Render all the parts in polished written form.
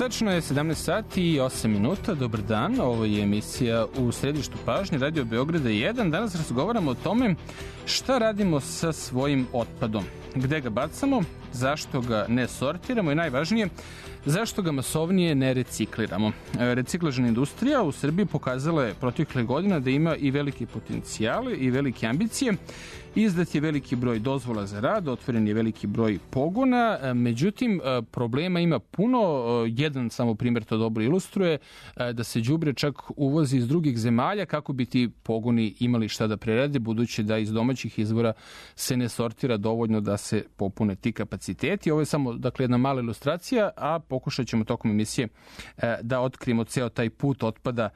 Tačno je 17 sati i 8 minuta. Dobar dan, ovo je emisija U središtu pažnje Radio Beograda 1. Danas razgovaramo o tome šta radimo sa svojim otpadom, gde ga bacamo, zašto ga ne sortiramo i najvažnije, zašto ga masovnije ne recikliramo. Reciklažna industrija u Srbiji pokazala je protekle godina da ima i velike potencijale i velike ambicije. Izdat je veliki broj dozvola za rad, otvoren je veliki broj pogona, međutim problema ima puno. Jedan samo primjer to dobro ilustruje, da se đubre čak uvozi iz drugih zemalja kako bi ti pogoni imali šta da prerade, budući da iz domaćih izvora se ne sortira dovoljno da se popune ti kapaciteti. Ovo je samo jedna mala ilustracija, a pokušat ćemo tokom emisije da otkrijemo ceo taj put otpada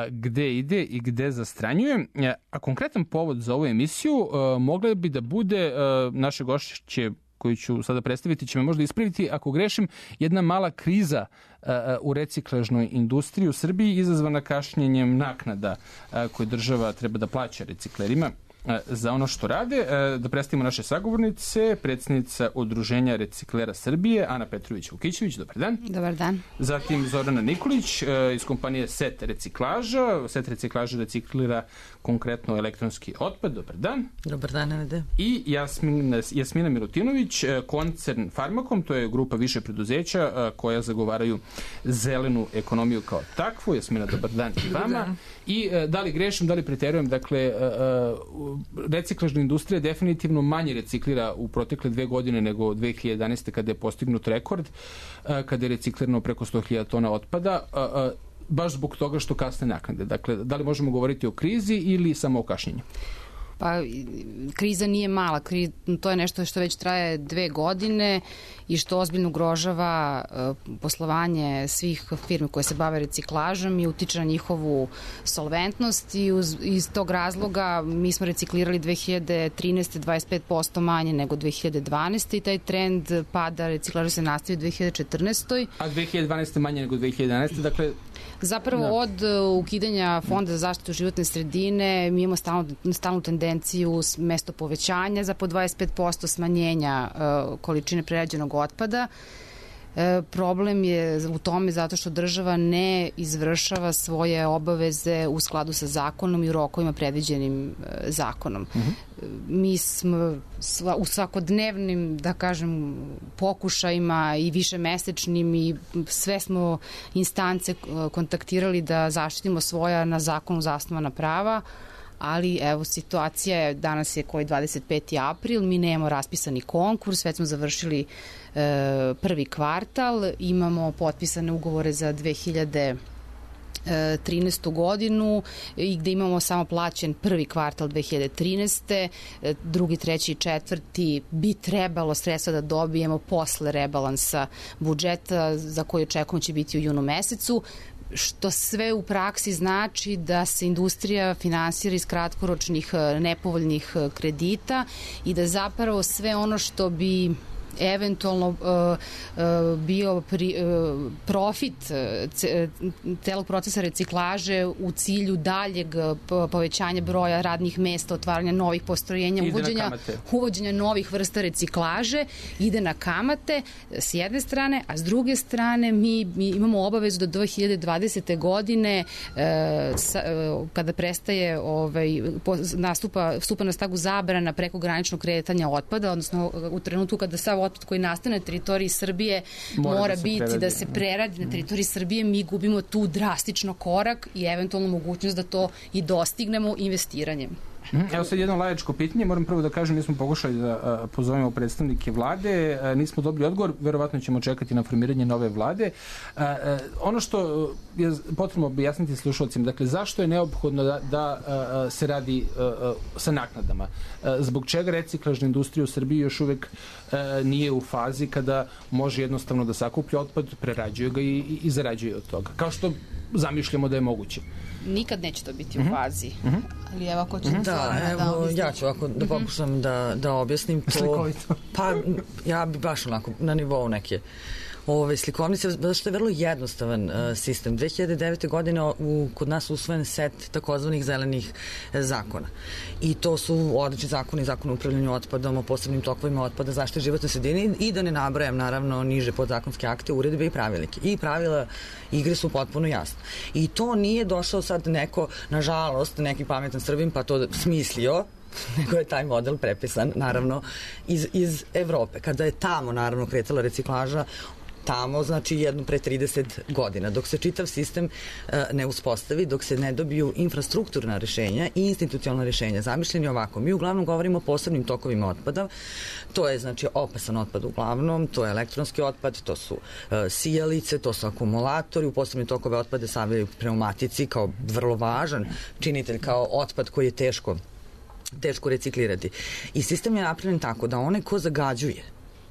gde ide i gde zastranjuje. A konkretan povod za ovu emisiju mogla bi da bude naše gošće koju ću sada predstaviti, će me možda ispraviti ako grešim, jedna mala kriza u reciklažnoj industriji u Srbiji izazvana kašnjenjem naknada koje država treba da plaća reciklerima za ono što rade. Da predstavimo naše sagovornice, predsjednica Udruženja reciklera Srbije, Ana Petrović-Vukićević, dobar dan. Dobar dan. Zatim Zorana Nikolić iz kompanije Set reciklaža. Set reciklaža reciklira konkretno elektronski otpad, dobar dan. Dobar dan, Nede. I Jasmina Milutinović, koncern Farmakom, to je grupa više preduzeća koja zagovaraju zelenu ekonomiju kao takvu. Jasmina, dobar dan i vama. I da li grešim, da li preterujem, reciklažna industrija definitivno manje reciklira u protekle 2 godine nego 2011. kada je postignut rekord, kada je reciklirano preko 100.000 tona otpada, baš zbog toga što kasne naknade. Dakle, da li možemo govoriti o krizi ili samo o kašnjenju? Pa, kriza nije mala, to je nešto što već traje 2 godine i što ozbiljno ugrožava poslovanje svih firmi koje se bave reciklažom i utiče na njihovu solventnost i iz tog razloga mi smo reciklirali 2013. 25% manje nego 2012. i taj trend pada reciklaža se nastavi u 2014. A 2012. manje nego 2011. Dakle, zapravo od ukidanja Fonda za zaštitu životne sredine mi imamo stalnu tendenciju mesto povećanja za po 25% smanjenja količine prerađenog otpada. Problem je u tome zato što država ne izvršava svoje obaveze u skladu sa zakonom i u rokovima predviđenim zakonom. Mi smo u svakodnevnim, da kažem, pokušajima i višemesečnim i sve smo instance kontaktirali da zaštitimo svoja na zakonu zasnovana prava, ali evo situacija je, danas je koji 25. april, mi nemamo raspisani konkurs, već smo završili prvi kvartal, imamo potpisane ugovore za 2013. godinu i gde imamo samo plaćen prvi kvartal 2013. Drugi, treći i četvrti bi trebalo sredstva da dobijemo posle rebalansa budžeta za koji očekujemo će biti u junu mesecu, što sve u praksi znači da se industrija finansira iz kratkoročnih nepovoljnih kredita i da zapravo sve ono što bi eventualno bio profit celog procesa reciklaže u cilju daljeg povećanja broja radnih mesta, otvaranja novih postrojenja, uvođenja novih vrsta reciklaže, ide na kamate s jedne strane, a s druge strane mi imamo obavezu do 2020. godine kada prestaje stupa na snagu zabrana prekograničnog kretanja otpada, odnosno u trenutku kada sav otpad koji nastane na teritoriji Srbije mora biti da se preradi na teritoriji Srbije, mi gubimo tu drastično korak i eventualno mogućnost da to i dostignemo investiranjem. Evo sad jedno laičko pitanje, moram prvo da kažem, mi smo pokušali da pozovemo predstavnike vlade, nismo dobili odgovor, verovatno ćemo čekati na formiranje nove vlade. Ono što je potrebno objasniti slušalcima, dakle, zašto je neophodno da se radi sa naknadama? Zbog čega reciklažna industrija u Srbiji još uvek nije u fazi kada može jednostavno da sakuplja otpad, prerađuje ga i zarađuje od toga, kao što zamišljamo da je moguće? Nikad neće to biti u fazi. Ali evo ako ću ja ću ovako da pokušam da objasnim to. Pa ja bi baš onako na nivou neke slikovnice, zato što je vrlo jednostavan sistem. 2009. godine kod nas usvojen set takozvanih zelenih zakona. I to su odlični zakoni, zakon o upravljanju otpadom, o posebnim tokovima otpada, zaštite životne sredine i da ne nabrajam naravno niže podzakonske akte, uredbe i pravilnike. I pravila igre su potpuno jasne. I to nije došao sad neko, nažalost, neki pametan Srbin pa to smislio, nego je taj model prepisan, naravno, iz Evrope. Kada je tamo, naravno, kretala reciklaža, tamo, znači jedno pre 30 godina. Dok se čitav sistem ne uspostavi, dok se ne dobiju infrastrukturna rešenja i institucionalna rešenja. Zamišljeni ovako, mi uglavnom govorimo o posebnim tokovima otpada, to je znači opasan otpad uglavnom, to je elektronski otpad, to su sijalice, to su akumulatori, u posebnim tokove otpade stavljaju pneumatici kao vrlo važan činitelj, kao otpad koji je teško reciklirati. I sistem je napravljen tako da onaj ko zagađuje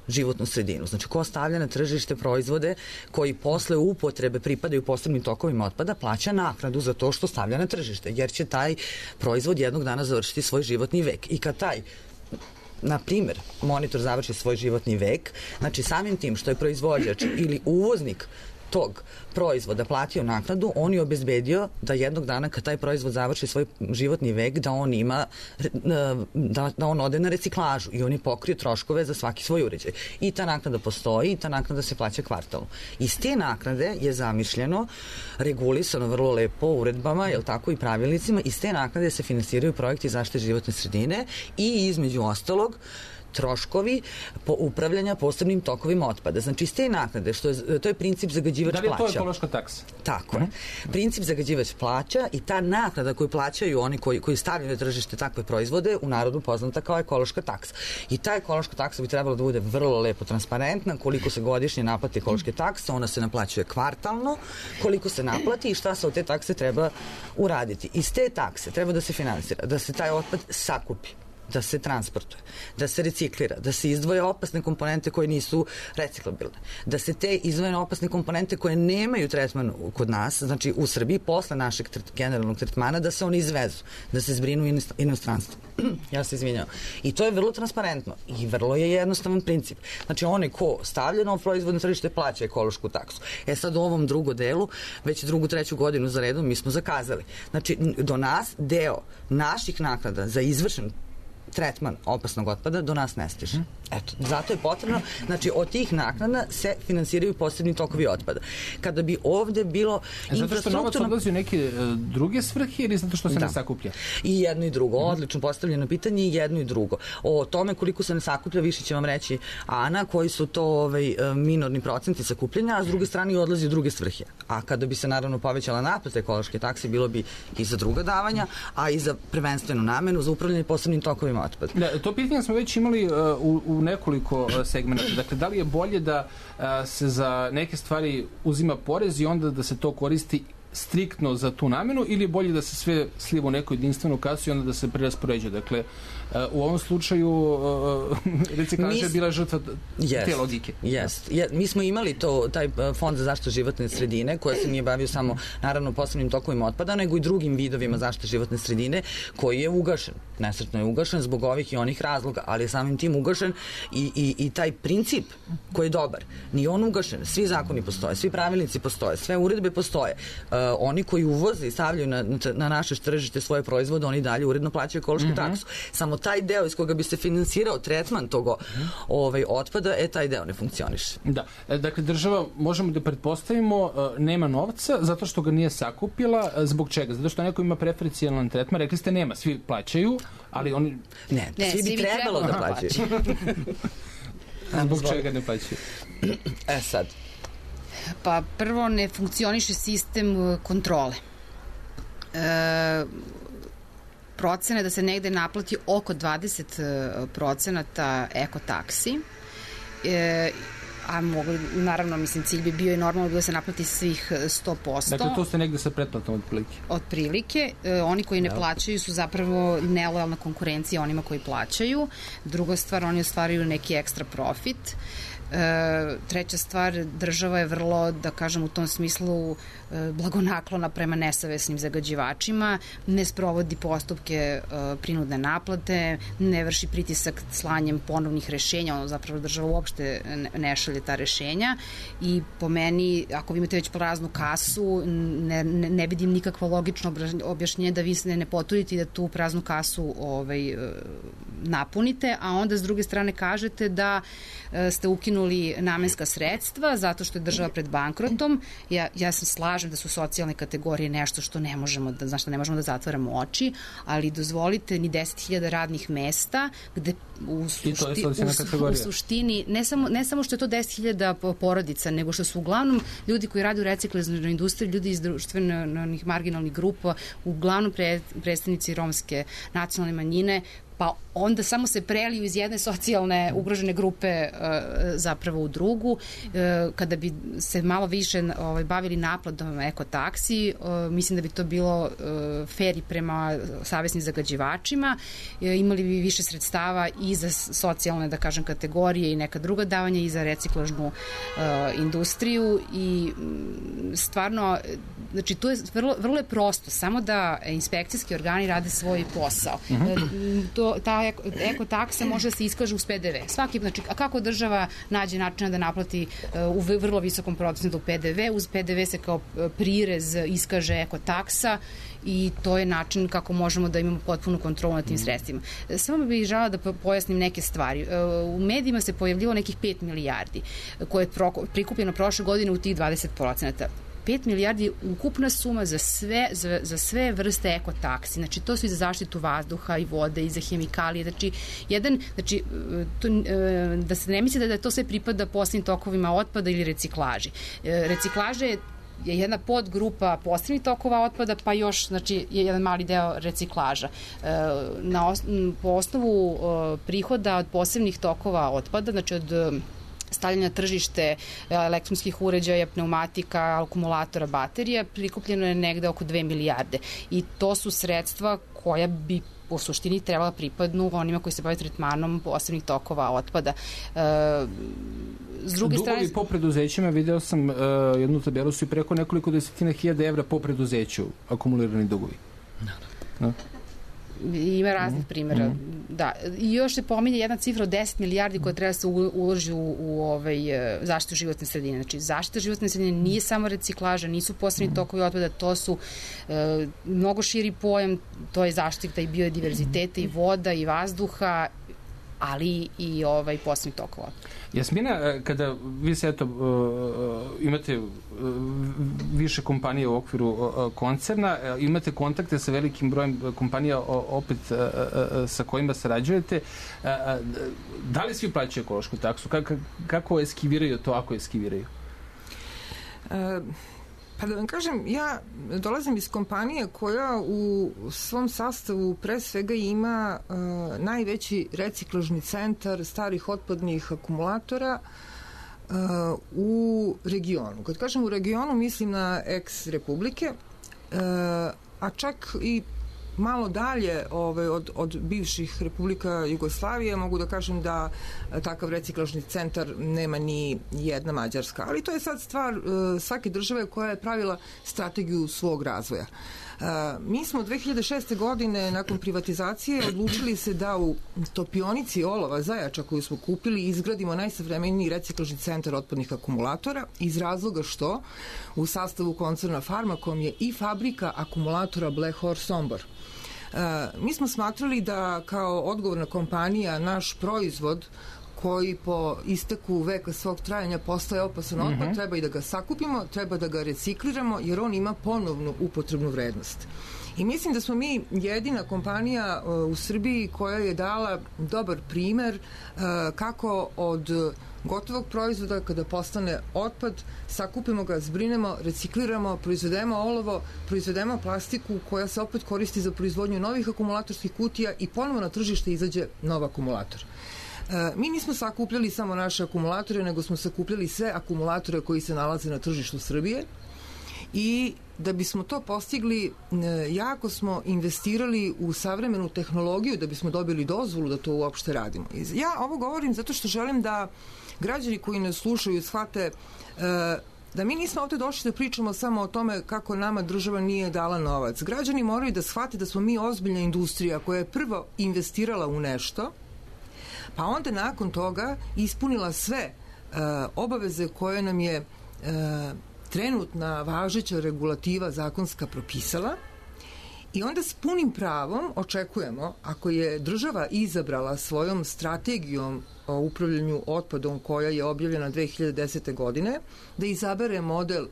životnu sredinu, znači ko stavlja na tržište proizvode koji posle upotrebe pripadaju posebnim tokovima otpada, plaća naknadu za to što stavlja na tržište, jer će taj proizvod jednog dana završiti svoj životni vek. I kad taj, na primer, monitor završi svoj životni vek, znači samim tim što je proizvođač ili uvoznik tog proizvoda platio naknadu, on je obezbedio da jednog dana kad taj proizvod završi svoj životni vek, da on ima, da on ode na reciklažu i on je pokrio troškove za svaki svoj uređaj. I ta naknada postoji i ta naknada se plaća kvartalno. Iz te naknade je zamišljeno, regulisano vrlo lepo uredbama, jel tako, i pravilnicima, iz te naknade se finansiraju projekti zaštite životne sredine i između ostalog troškovi upravljanja posebnim tokovima otpada. Znači, iz te naknade, to je princip zagađivač plaća. Da li je to ekološka taksa? Tako je. Princip zagađivač plaća i ta naknada koju plaćaju oni koji stavljaju na tržište takve proizvode, u narodu poznata kao ekološka taksa. I ta ekološka taksa bi trebala da bude vrlo lepo transparentna, koliko se godišnje naplati ekološke takse, ona se naplaćuje kvartalno, koliko se naplati i šta se od te takse treba uraditi. Iz te takse treba da se finansira, da se taj otpad sakupi, da se transportuje, da se reciklira, da se izdvoje opasne komponente koje nisu reciklabilne, da se te izdvojene opasne komponente koje nemaju tretman kod nas, znači u Srbiji, posle našeg generalnog tretmana, da se one izvezu, da se zbrinu u inostranstvu. Ja se izvinjam. I to je vrlo transparentno i vrlo je jednostavan princip. Znači, onaj ko stavlja nov proizvod na tržište plaća ekološku taksu. Sad u ovom drugom delu, već drugu, treću godinu za redom, mi smo zakazali. Znači, do nas deo naših naknada za izvršen tretman opasnog otpada do nas ne stiže. Eto, zato je potrebno, znači od tih naknada se finansiraju posebni tokovi otpada. Kada bi ovde bilo infrastrukturno... Zato što novac odlazi u neke druge svrhe ili zato što se ne sakuplja? I jedno i drugo. Odlično postavljeno pitanje i jedno i drugo. O tome koliko se ne sakuplja više će vam reći Ana, koji su to minorni procenti sakupljanja, a s druge strane odlazi u druge svrhe. A kada bi se naravno povećala naplata ekološke takse, bilo bi i za druga davanja, a i za prvenstvenu namenu, za upravljanje posebnim tokovima otpada. Da, to pitanje smo već imali u nekoliko segmenta. Dakle, da li je bolje da se za neke stvari uzima porez i onda da se to koristi striktno za tu namenu ili je bolje da se sve sliva u neku jedinstvenu kasu i onda da se preraspoređuje? Dakle, u ovom slučaju reciklaža je bila žrtva te logike. Mi smo imali taj fond za zaštitu životne sredine koji se nije bavio samo naravno posebnim tokovima otpada, nego i drugim vidovima zaštite životne sredine koji je ugašen. Nesretno je ugašen zbog ovih i onih razloga, ali je samim tim ugašen i taj princip koji je dobar. Nije on ugašen. Svi zakoni postoje, svi pravilnici postoje, sve uredbe postoje. Oni koji uvoze i stavljaju na naše tržište svoje proizvode, oni dalje uredno plaćaju ekološku taksu. Samo taj deo iz koga bi se finansirao tretman tog otpada, taj deo ne funkcioniše. Da. Dakle, država, možemo da pretpostavimo, nema novca zato što ga nije sakupila. Zbog čega? Zato što neko ima preferencijalan tretman. Rekli ste nema, svi plaćaju, ali oni... Ne, svi bi trebalo da plaćaju. Zbog čega ne plaćaju? Sad... Pa prvo ne funkcioniše sistem kontrole. Procene da se negde naplati oko 20% ekotaksi, a naravno, cilj bi bio i normalno da se naplati svih 100%. Dakle, to ste negde sa pretplatom otprilike? Otprilike. Oni koji ne plaćaju su zapravo nelojalna konkurencija onima koji plaćaju. Druga stvar, oni ostvaruju neki ekstra profit. Treća stvar, država je vrlo, da kažem, u tom smislu blagonaklona prema nesavesnim zagađivačima, ne sprovodi postupke prinudne naplate, ne vrši pritisak slanjem ponovnih rešenja, zapravo država uopšte ne šalje pošalje ta rešenja i po meni, ako vi imate već praznu kasu, ne vidim nikakvo logično objašnjenje da vi se ne potrudite i da tu praznu kasu napunite, a onda s druge strane kažete da ste ukinuli namenska sredstva zato što je država pred bankrotom. Ja se slažem da su socijalne kategorije nešto što ne možemo da zatvaramo oči, ali dozvolite ni 10.000 radnih mesta gde u suštini ne samo što je to 10.000 porodica, nego što su uglavnom ljudi koji rade u reciklažnoj industriji, ljudi iz društvenih marginalnih grupa, uglavnom predstavnici romske nacionalne manjine, pa onda samo se preliju iz jedne socijalne ugrožene grupe zapravo u drugu. Kada bi se malo više bavili naplatom ekotaksi, mislim da bi to bilo fair i prema savesnim zagađivačima, imali bi više sredstava i za socijalne, da kažem, kategorije i neka druga davanja i za reciklažnu industriju i stvarno, znači to je vrlo je prosto, samo da inspekcijski organi rade svoj posao. Ta ekotaksa može da se iskaže uz PDV. Znači, a kako država nađe načina da naplati u vrlo visokom procentu PDV, uz PDV se kao prirez iskaže ekotaksa i to je način kako možemo da imamo potpunu kontrolu nad tim sredstvima. Samo bih želela da pojasnim neke stvari. U medijima se pojavljivalo nekih 5 milijardi koje je prikupljeno prošle godine u tih 20%. 5 milijardi je ukupna suma za sve vrste ekotaksi. Znači, to su i za zaštitu vazduha i vode i za hemikalije. Znači, da se ne misli da to sve pripada posebnim tokovima otpada ili reciklaži. Reciklaža je jedna podgrupa posebnih tokova otpada, pa još, znači, je jedan mali deo reciklaža. Po osnovu prihoda od posebnih tokova otpada, znači od stavljanja na tržište elektronskih uređaja, pneumatika, akumulatora, baterija, prikupljeno je negde oko 2 milijarde. I to su sredstva koja bi u suštini trebala pripadnu onima koji se bave tretmanom posebnih tokova otpada. S druge strane... Dugovi po preduzećima, video sam jednu tabelu, su i preko nekoliko desetina hiljada evra po preduzeću akumulirani dugovi. No. Ima raznih primjera. Da. I još se pominje jedna cifra od 10 milijardi koja treba se uloži u zaštitu životne sredine. Znači, zaštita životne sredine nije samo reciklaža, nisu posebni tokovi otpada, to su mnogo širi pojam, to je zaštita i biodiverziteta i voda i vazduha, ali i posebnih tokova. Jasmina, kada vi se imate više kompanije u okviru koncerna, imate kontakte sa velikim brojem kompanija opet sa kojima sarađujete, da li svi plaćaju ekološku taksu? Kako eskiviraju to, ako eskiviraju? Pa da vam kažem, ja dolazim iz kompanije koja u svom sastavu pre svega ima najveći reciklažni centar starih otpadnih akumulatora u regionu. Kad kažem u regionu, mislim na ex-republike, a čak i malo dalje od bivših republika Jugoslavije, mogu da kažem da takav reciklažni centar nema ni jedna Mađarska. Ali to je sad stvar svake države koja je pravila strategiju svog razvoja. Mi smo 2006. godine nakon privatizacije odlučili se da u topionici olova Zajača koju smo kupili izgradimo najsavremeniji reciklažni centar otpadnih akumulatora iz razloga što u sastavu koncerna Farmakom je i fabrika akumulatora Black Horse Sombor. Mi smo smatrali da kao odgovorna kompanija naš proizvod koji po isteku veka svog trajanja postaje opasan otpad, treba i da ga sakupimo, treba da ga recikliramo, jer on ima ponovnu upotrebnu vrednost. I mislim da smo mi jedina kompanija u Srbiji koja je dala dobar primer kako od gotovog proizvoda, kada postane otpad, sakupimo ga, zbrinemo, recikliramo, proizvedemo olovo, proizvedemo plastiku koja se opet koristi za proizvodnju novih akumulatorskih kutija i ponovo na tržište izađe nov akumulator. Mi nismo sakupljali samo naše akumulatore, nego smo sakupljali sve akumulatore koji se nalaze na tržištu Srbije i da bismo to postigli, jako smo investirali u savremenu tehnologiju da bismo dobili dozvolu da to uopšte radimo. Ja ovo govorim zato što želim da građani koji nas slušaju shvate da mi nismo ovde došli da pričamo samo o tome kako nama država nije dala novac. Građani moraju da shvate da smo mi ozbiljna industrija koja je prvo investirala u nešto, pa onda nakon toga ispunila sve obaveze koje nam je trenutna važeća regulativa zakonska propisala, i onda s punim pravom očekujemo, ako je država izabrala svojom strategijom o upravljanju otpadom koja je objavljena 2010. godine, da izabere model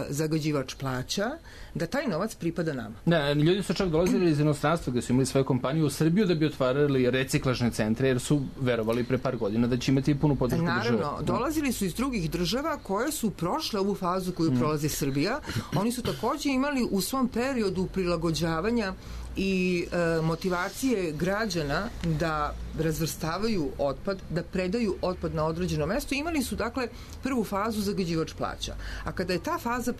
zagađivač plaća, da taj novac pripada nama. Da, ljudi su čak dolazili iz inostranstva gde su imali svoju kompaniju u Srbiju da bi otvarali reciklažne centre, jer su verovali pre par godina da će imati punu podršku države. Naravno, dolazili su iz drugih država koje su prošle ovu fazu koju prolazi Srbija. Oni su takođe imali u svom periodu prilagođavanja i motivacije građana da razvrstavaju otpad, da predaju otpad na određeno mesto. Imali su, dakle, prvu fazu zagađivač plaća. A kada je ta faza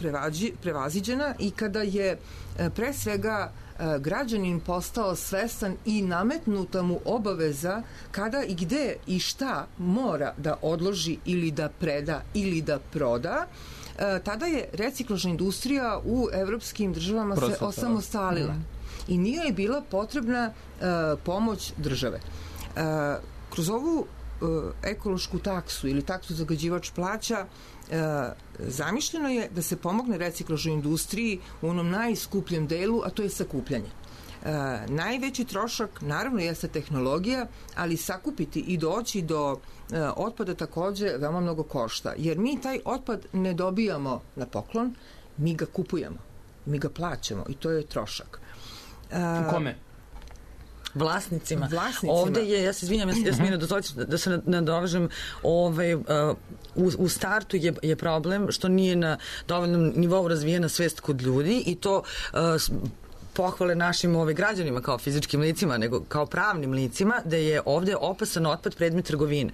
prevaziđena i kada je pre svega građanin postao svestan i nametnuta mu obaveza kada i gde i šta mora da odloži ili da preda ili da proda, tada je reciklažna industrija u evropskim državama se osamostalila. I nije je bila potrebna pomoć države. Kroz ovu ekološku taksu ili taksu zagađivač plaća zamišljeno je da se pomogne reciklažnoj industriji u onom najskupljem delu, a to je sakupljanje. Najveći trošak naravno jeste tehnologija, ali sakupiti i doći do otpada takođe veoma mnogo košta, jer mi taj otpad ne dobijamo na poklon, mi ga kupujemo, mi ga plaćamo i to je trošak. Kome? Vlasnicima. Ovde je, ja se izvinjam, Jasmina, da se nadovežem, u startu je problem što nije na dovoljnom nivou razvijena svest kod ljudi i to pohvale našim građanima kao fizičkim licima, nego kao pravnim licima, da je ovde opasan otpad predmet trgovine.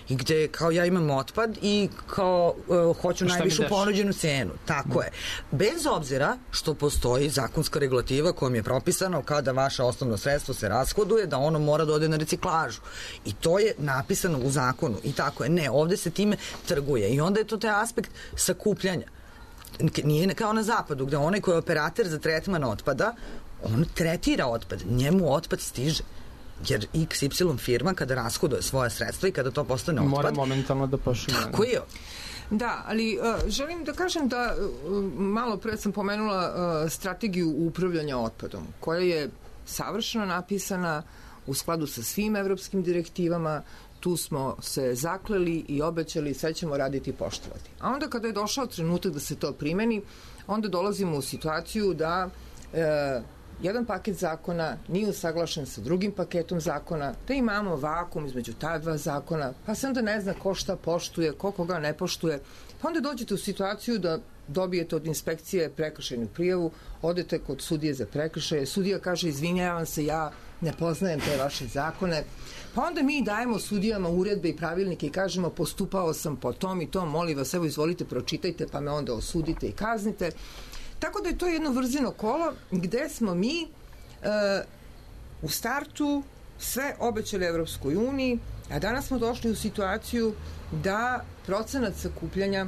I gde kao ja imam otpad i kao hoću najvišu ponuđenu cenu. Tako je. Bez obzira što postoji zakonska regulativa kojom je propisano kada vaše osnovno sredstvo se rashoduje, da ono mora da ode na reciklažu. I to je napisano u zakonu. I tako je. Ne, ovde se time trguje. I onda je to taj aspekt sakupljanja. Nije kao na zapadu, gde onaj koji je operater za tretman otpada, on tretira otpad, njemu otpad stiže. Jer XY firma kada rashoduje svoje sredstva i kada to postane otpad... Mora momentalno da pošalje. Tako je. Da, ali želim da kažem da malo pre sam pomenula strategiju upravljanja otpadom, koja je savršeno napisana u skladu sa svim evropskim direktivama. Tu smo se zakleli i obećali, sve ćemo raditi i poštovati. A onda kada je došao trenutak da se to primeni, onda dolazimo u situaciju da jedan paket zakona nije usaglašen sa drugim paketom zakona, da imamo vakum između ta dva zakona, pa se onda ne zna ko šta poštuje, ko koga ne poštuje, pa onda dođete u situaciju da dobijete od inspekcije prekršajnu prijavu, odete kod sudije za prekršaje, sudija kaže izvinjavam se, ja ne poznajem te vaše zakone, pa onda mi dajemo sudijama uredbe i pravilnike i kažemo postupao sam po tom i tom, molim vas, evo izvolite, pročitajte, pa me onda osudite i kaznite. Tako da je to jedno vrzino kolo gde smo mi u startu sve obećali Evropskoj uniji, a danas smo došli u situaciju da procenat sakupljanja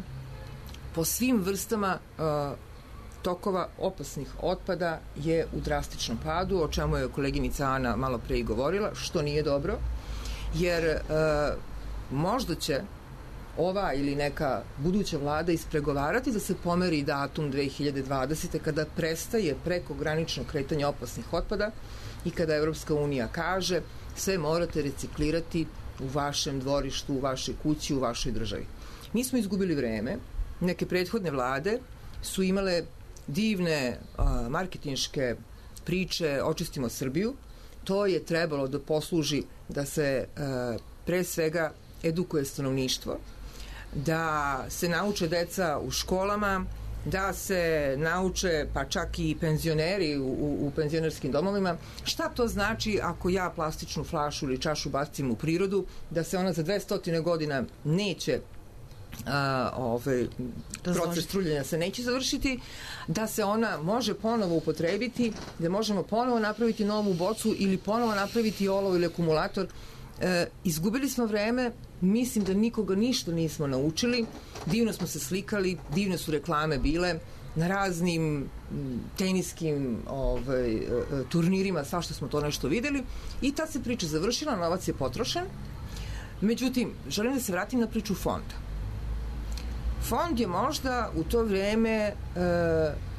po svim vrstama tokova opasnih otpada je u drastičnom padu, o čemu je koleginica Ana malo pre i govorila, što nije dobro, jer možda će ova ili neka buduća vlada ispregovarati da se pomeri datum 2020. kada prestaje prekogranično kretanje opasnih otpada i kada Evropska unija kaže sve morate reciklirati u vašem dvorištu, u vašoj kući, u vašoj državi. Mi smo izgubili vreme, neke prethodne vlade su imale divne marketinške priče očistimo Srbiju, to je trebalo da posluži da se pre svega edukuje stanovništvo, da se nauče deca u školama, da se nauče pa čak i penzioneri u penzionerskim domovima šta to znači ako ja plastičnu flašu ili čašu bacim u prirodu, da se ona za 200 godina neće proces truljenja se neće završiti, da se ona može ponovo upotrebiti, da možemo ponovo napraviti novu bocu ili ponovo napraviti olovo ili akumulator. Izgubili smo vreme, mislim da nikoga ništa nismo naučili, divno smo se slikali, divne su reklame bile na raznim teniskim turnirima, svašta smo to nešto videli i ta se priča završila, novac je potrošen. Međutim, želim da se vratim na priču fonda. Fond je možda u to vreme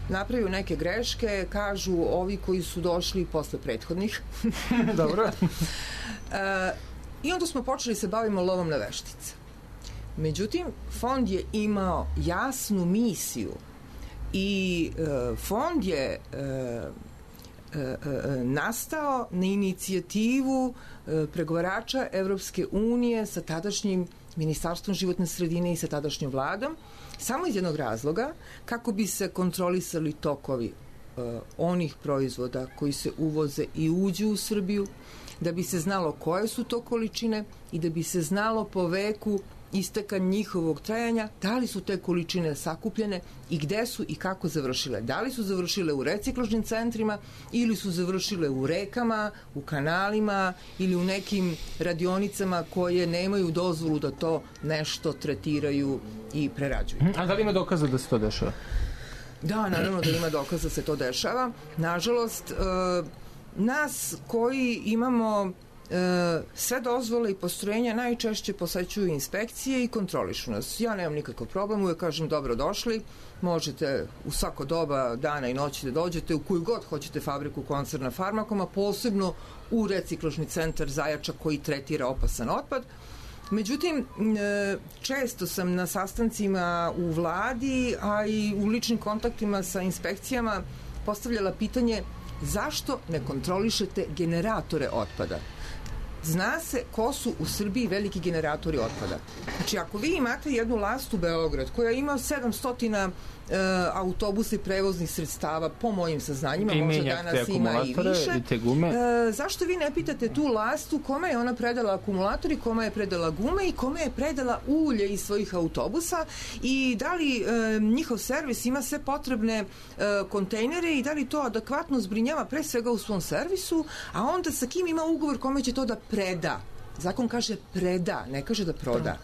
napravio neke greške, kažu ovi koji su došli posle prethodnih. Dobro. I onda smo počeli se bavimo lovom na veštice. Međutim, fond je imao jasnu misiju i fond je nastao na inicijativu pregovarača Evropske unije sa tadašnjim Ministarstvom životne sredine i sa tadašnjom vladom, samo iz jednog razloga, kako bi se kontrolisali tokovi onih proizvoda koji se uvoze i uđu u Srbiju, da bi se znalo koje su to količine i da bi se znalo po veku isteka njihovog trajanja, da li su te količine sakupljene i gde su i kako završile. Da li su završile u reciklažnim centrima ili su završile u rekama, u kanalima ili u nekim radionicama koje nemaju dozvolu da to nešto tretiraju i prerađuju. A da li ima dokaza da se to dešava? Da, naravno da ima dokaza da se to dešava. Nažalost, nas koji imamo sve dozvole i postrojenja najčešće posećuju inspekcije i kontrolišu nas. Ja nemam nikakav problem, uvek kažem dobro došli, možete u svako doba dana i noći da dođete u koju god hoćete fabriku koncerna Farmakoma, posebno u reciklažni centar Zajača koji tretira opasan otpad. Međutim, često sam na sastancima u vladi, a i u ličnim kontaktima sa inspekcijama postavljala pitanje zašto ne kontrolišete generatore otpada? Zna se ko su u Srbiji veliki generatori otpada. Znači, ako vi imate jednu Lastu Beograd koja ima 700 autobusa i prevoznih sredstava, po mojim saznanjima, možda danas ima i više, zašto vi ne pitate tu Lastu kome je ona predala akumulator i kome je predala gume i kome je predala ulje iz svojih autobusa i da li njihov servis ima sve potrebne kontejnere i da li to adekvatno zbrinjava pre svega u svom servisu, a onda sa kim ima ugovor kome će to da preda. Zakon kaže preda, ne kaže da proda.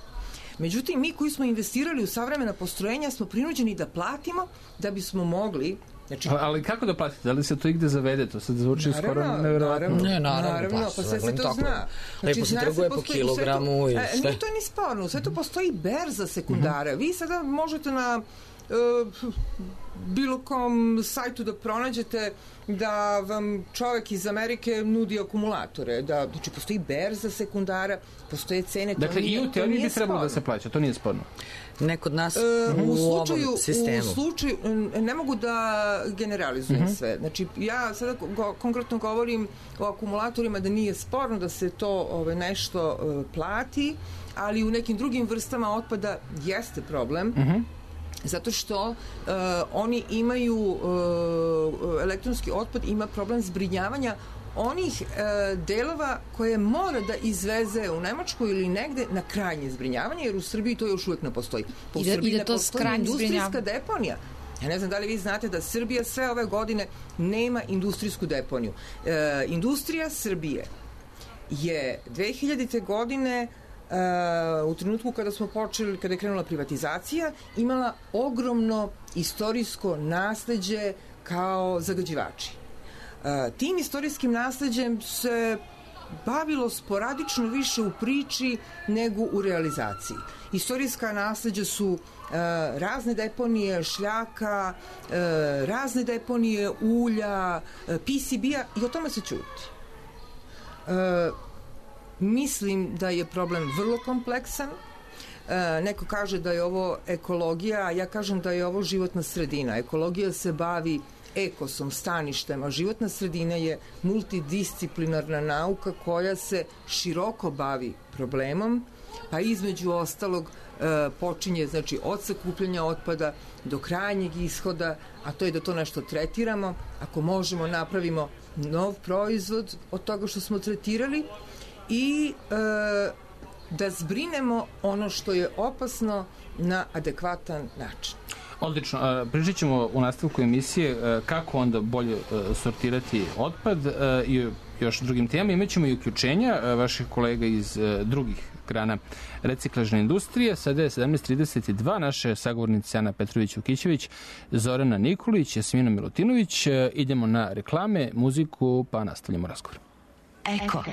Međutim, mi koji smo investirali u savremena postrojenja smo prinuđeni da platimo da bismo mogli. Znači, ali kako da platite? Da li se to igde zavede? To sad zvuči skoro nevjerovatno. Naravno, pa sve se to zna. Znači, lepo se trguje po kilogramu i sve. Nije to ni sporno, sve to postoji berza sekundara. Vi sada možete na bilo kom sajtu da pronađete da vam čovek iz Amerike nudi akumulatore, da, znači postoji berza sekundara, postoje cene. Dakle, i u teoriji bi trebalo da se plaća, to nije sporno. Ne kod nas u ovom sistemu. U slučaju, ne mogu da generalizujem sve. Znači, ja sada konkretno govorim o akumulatorima da nije sporno da se to nešto plati, ali u nekim drugim vrstama otpada jeste problem. Zato što oni imaju, elektronski otpad ima problem zbrinjavanja onih delova koje mora da izveze u Nemačku ili negde na krajnje zbrinjavanje, jer u Srbiji to još uvek ne postoji. U Srbiji ne postoji industrijska deponija. Ja ne znam da li vi znate da Srbija sve ove godine nema industrijsku deponiju. Industrija Srbije je 2000. godine u trenutku kada smo počeli, kada je krenula privatizacija, imala ogromno istorijsko nasleđe kao zagađivači. Tim istorijskim nasleđem se bavilo sporadično više u priči nego u realizaciji. Istorijska nasleđa su razne deponije šljaka, razne deponije ulja, PCB-a i o tome se ćuti. Mislim da je problem vrlo kompleksan. Neko kaže da je ovo ekologija, a ja kažem da je ovo životna sredina. Ekologija se bavi ekosom, staništem, a životna sredina je multidisciplinarna nauka koja se široko bavi problemom, pa između ostalog počinje, znači, od sakupljanja otpada do krajnjeg ishoda, a to je da to nešto tretiramo. Ako možemo, napravimo nov proizvod od toga što smo tretirali i da zbrinemo ono što je opasno na adekvatan način. Odlično. Pričat ćemo u nastavku emisije kako onda bolje sortirati otpad i još drugim temama. Imaćemo i uključenja vaših kolega iz drugih grana reciklažne industrije. Sada je 17:32. Naše sagovornice Ana Petrović-Vukićević, Zorana Nikolić, Jasmina Milutinović. Idemo na reklame, muziku, pa nastavljamo razgovor. Eko.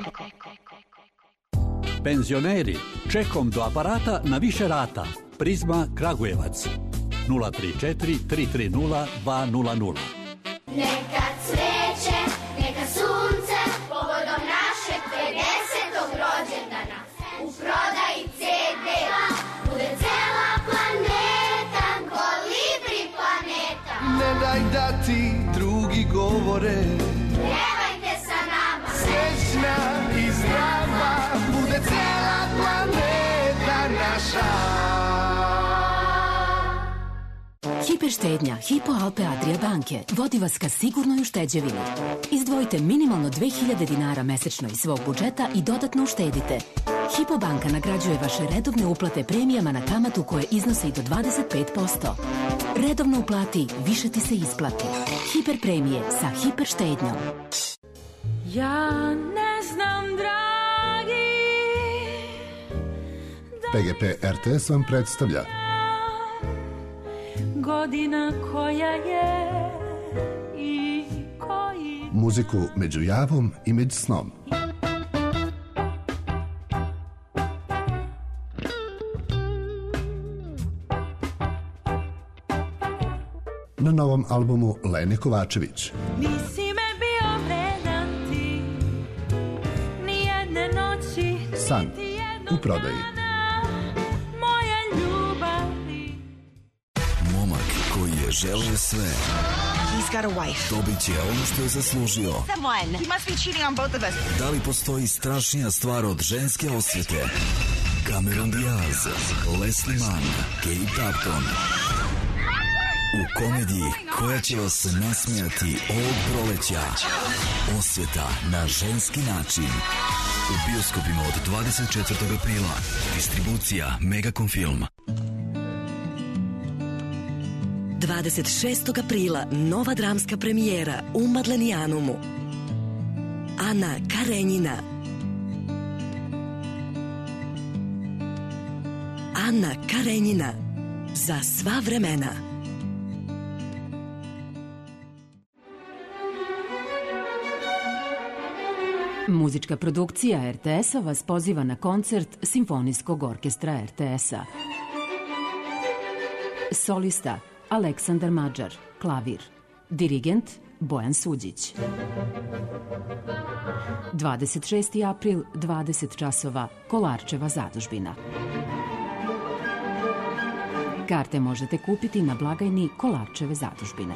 Penzioneri, čekom do aparata na više rata. Prizma Kragujevac 034 330 200. Neka cveće, neka sunce, povodom našeg 50. rođendana. U prodaji CD bude cela planeta, Kolibri planeta. Ne daj da ti drugi govore, Pjevajte sa nama, srećna i zdrava, bude cela planeta naša. Hiperštednja Hypo Alpe Adria banke vodi vas ka sigurnoj ušteđevini. Izdvojite minimalno 2000 dinara mesečno iz svog budžeta i dodatno uštedite. Hypo banka nagrađuje vaše redovne uplate premijama na kamatu koje iznosi do 25%. Redovno uplati, više ti se isplati. Hiper premije sa hiper štednjom. Ja ne znam, dragi, PGP RTS vam predstavlja godina koja je i koji... muziku među javom i među snom. Na novom albumu Lene Kovačević. Nisi me bio vredan ti, nijedne noći, San u prodaji. moje ljubavi. Momak koji je želeo sve. He's got a wife. Dobit će ono što je zaslužio. Someone. He must be cheating on both of us. Da li postoji strašnija stvar od ženske osvete? Cameron Diaz, Leslie Mann, Kate Upton. U komediji koja će vas nasmijati ovog proleća. Osveta na ženski način. U bioskopima od 24. aprila. Distribucija Megacom Film. 26. aprila nova dramska premijera u Madlenijanumu. Ana Karenjina. Ana Karenjina. Za sva vremena. Muzička produkcija RTS-a vas poziva na koncert Simfonijskog orkestra RTS-a. Solista Aleksandar Mađar, klavir. Dirigent Bojan Suđić. 26. april, 20 časova, Kolarčeva zadužbina. Karte možete kupiti na blagajni Kolarčeve zadužbine.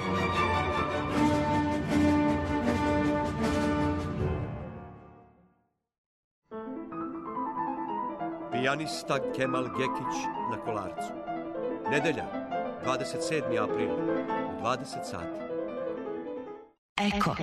Pijanista Kemal Gekić na Kolarcu. Nedelja, 27. april, u 20 sati. Eko.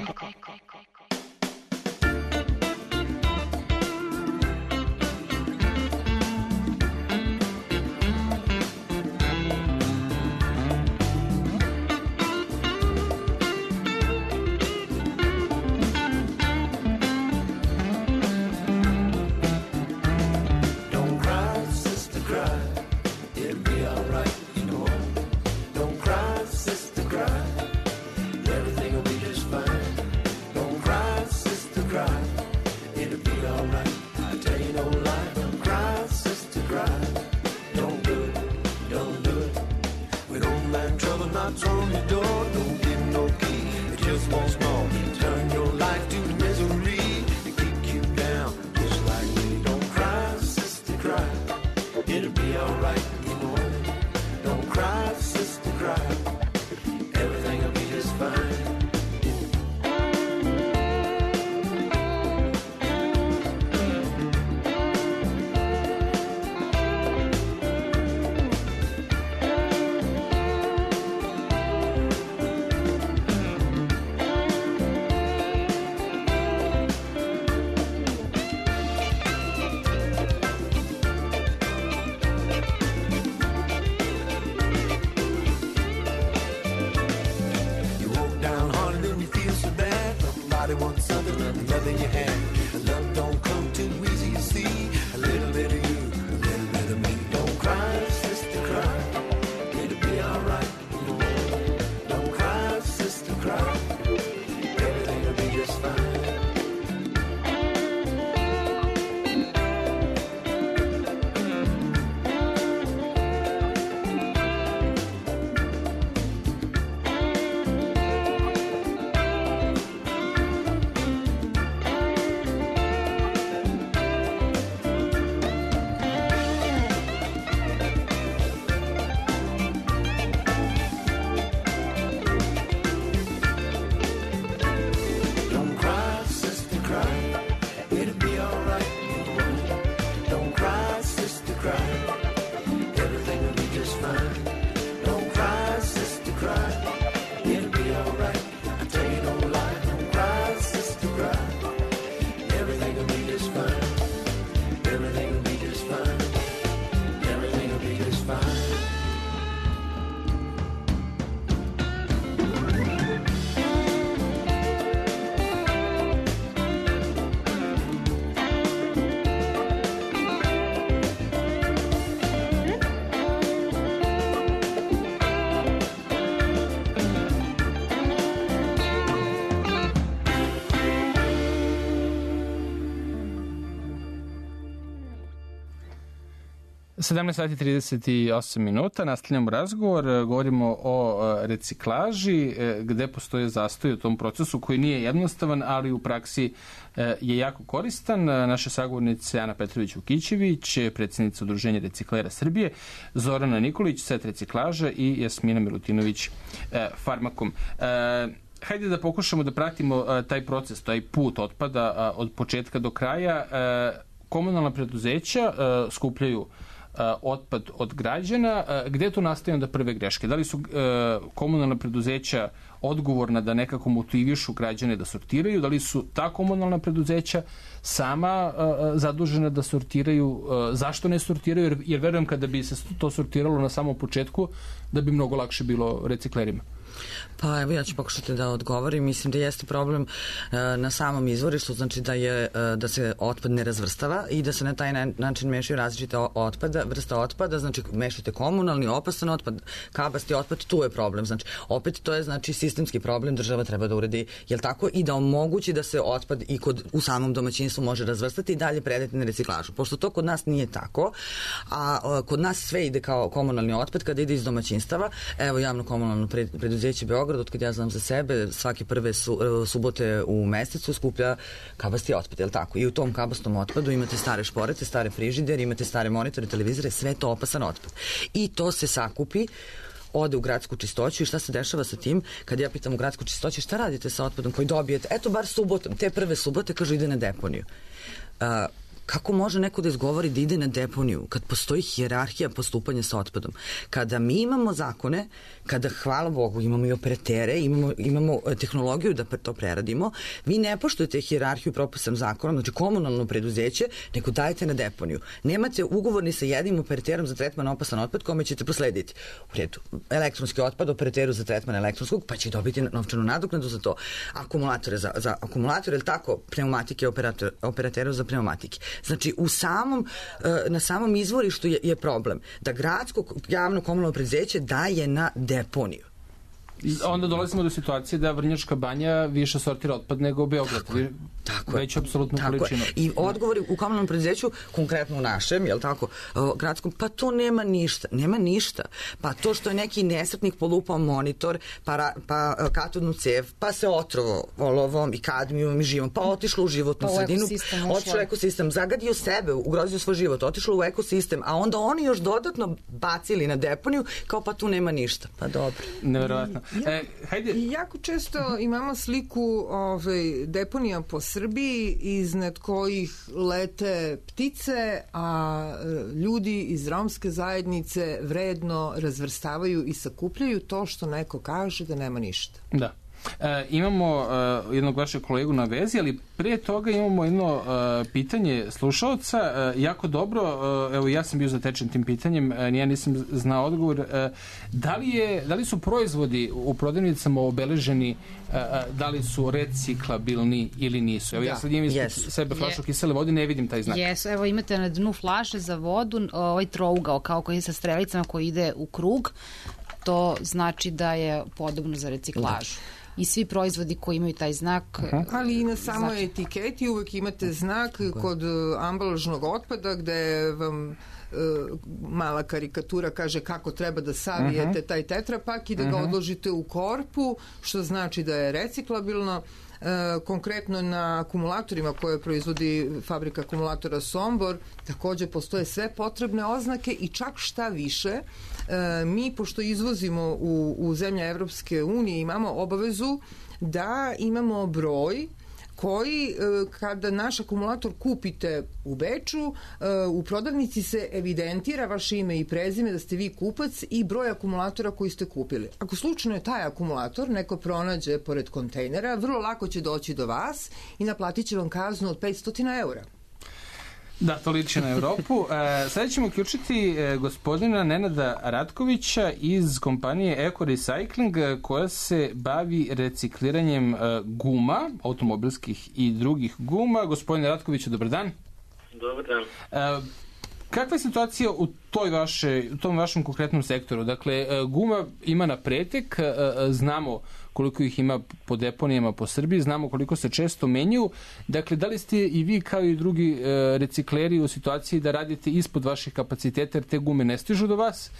cry. Everything will be just fine. Don't cry, sister, cry. It'll be alright. I tell you no lie. Don't cry, sister, cry. Everything will be just fine. Everything will be just fine. Everything will be just fine. sati 38 minuta, nastavljamo razgovor, govorimo o reciklaži, gde postoje zastoj u tom procesu koji nije jednostavan, ali u praksi je jako koristan. Naše sagovornice Ana Petrović-Vukićević, predsjednica Udruženja reciklera Srbije, Zorana Nikolić, Set reciklaža i Jasmina Milutinović, Farmakom. Hajde da pokušamo da pratimo taj proces, taj put otpada od početka do kraja. Komunalna preduzeća skupljaju otpad od građana. Gde tu nastaju onda prve greške? Da li su komunalna preduzeća odgovorna da nekako motivišu građane da sortiraju? Da li su ta komunalna preduzeća sama zadužena da sortiraju? Zašto ne sortiraju? Jer verujem kada bi se to sortiralo na samom početku da bi mnogo lakše bilo reciklerima. Pa evo ja ću pokušati da odgovorim. Mislim da jeste problem na samom izvorištu, znači da se otpad ne razvrstava i da se na taj način mešaju različite vrsta otpada, znači mešate komunalni, opasan otpad, kabasti otpad, tu je problem. Znači opet to je znači sistemski problem, država treba da uredi, jel tako, i da omogući da se otpad i u samom domaćinstvu može razvrstati i dalje predati na reciklažu. Pošto to kod nas nije tako, a kod nas sve ide kao komunalni otpad kada ide iz domaćinstava. Evo javno komunalno preduzeće Beograd, od kad ja znam za sebe, svake prve subote u mesecu skuplja kabasti otpad, je li tako? I u tom kabastom otpadu imate stare šporete, stare frižidere, imate stare monitore, televizore, sve to opasan otpad. I to se sakupi, ode u gradsku čistoću i šta se dešava sa tim? Kad ja pitam u gradsku čistoću šta radite sa otpadom koji dobijete, eto bar subotom, te prve subote, kažu ide na deponiju. Kako može neko da izgovori da ide na deponiju kad postoji hijerarhija postupanja sa otpadom? Kada mi imamo zakone, kada, hvala Bogu, imamo i operatere, imamo tehnologiju da to preradimo, vi ne poštujete hijerarhiju propisanom zakonom, znači komunalno preduzeće, nego dajete na deponiju. Nemate ugovor ni sa jednim operaterom za tretman opasan otpad kome ćete proslediti. U redu, elektronski otpad operateru za tretman elektronskog, pa će dobiti novčanu nadoknadu za to. Akumulatore za akumulatore, ili tako, pneumatike operateru za pneumatike. Znači, na samom izvorištu je problem da gradsko javno komunalno preduzeće daje na deponiju. Onda dolazimo do situacije da Vrnjačka Banja više sortira otpad nego Beograd. Tako veću apsolutnu količinu. I odgovori u komunalnom preduzeću, konkretno u našem, jel tako, gradskom, pa to nema ništa. Nema ništa. Pa to što je neki nesretnik polupao monitor, pa katodnu cev, pa se otrovo olovom i kadmijom i živom, pa otišlo u životnu sredinu, otišlo u ekosistem, zagadio sebe, ugrozio svoj život, otišlo u ekosistem, a onda oni još dodatno bacili na deponiju, kao pa tu nema ništa. Pa dobro. Neverovatno. Jako često imamo sliku deponija po Srbiji iznad kojih lete ptice, a ljudi iz romske zajednice vredno razvrstavaju i sakupljaju to što neko kaže da nema ništa. Da. Imamo jednog vašeg kolegu na vezi, ali prije toga imamo jedno pitanje slušalca. Jako dobro, evo ja sam bio zatečen tim pitanjem, ja nisam znao odgovor. Da li su proizvodi u prodavnicama obeleženi, da li su reciklabilni ili nisu? Evo ja sad imam ispred sebe flašu kisele vode, ne vidim taj znak. Evo imate na dnu flaše za vodu ovaj trougao kao koji je sa strelicama koji ide u krug, to znači da je podobno za reciklažu. I svi proizvodi koji imaju taj znak. Ali i na samoj etiketi uvek imate znak kod ambalažnog otpada gde vam mala karikatura kaže kako treba da savijete taj tetrapak i da ga odložite u korpu, što znači da je reciklabilno. Konkretno na akumulatorima koje proizvodi fabrika akumulatora Sombor takođe postoje sve potrebne oznake i čak šta više, mi pošto izvozimo u zemlje Evropske unije imamo obavezu da imamo broj koji kada naš akumulator kupite u Beču, u prodavnici se evidentira vaše ime i prezime da ste vi kupac i broj akumulatora koji ste kupili. Ako slučajno je taj akumulator neko pronađe pored kontejnera, vrlo lako će doći do vas i naplatit će vam kaznu od 500 eura. Da, to liči na Evropu. Sada ćemo uključiti gospodina Nenada Ratkovića iz kompanije Eco Recycling koja se bavi recikliranjem guma, automobilskih i drugih guma. Gospodine Ratkoviću, dobar dan. Dobar dan. Kakva je situacija u tom vašem konkretnom sektoru? Dakle, guma ima na pretek, znamo koliko ih ima po deponijama po Srbiji, znamo koliko se često menjaju. Dakle, da li ste i vi kao i drugi recikleri u situaciji da radite ispod vaših kapaciteta jer te gume ne stižu do vas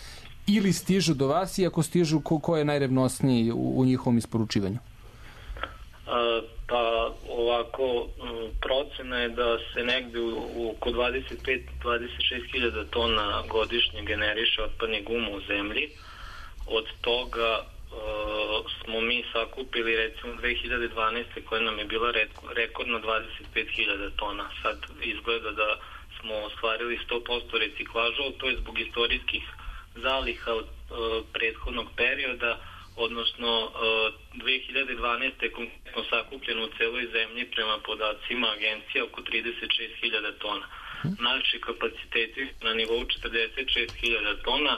ili stižu do vas i ako stižu, ko je najrevnosniji u njihovom isporučivanju? Pa ovako, procena je da se negde oko 25-26 hiljada tona godišnje generiše otpadnih guma u zemlji. Od toga smo mi sakupili recimo 2012. koja nam je bila rekordno 25.000 tona. Sad izgleda da smo ostvarili 100% reciklaža, to je zbog istorijskih zaliha od prethodnog perioda, odnosno 2012. je konkretno sakupljeno u celoj zemlji prema podacima agencija oko 36.000 tona. Naši kapaciteti na nivou 46.000 tona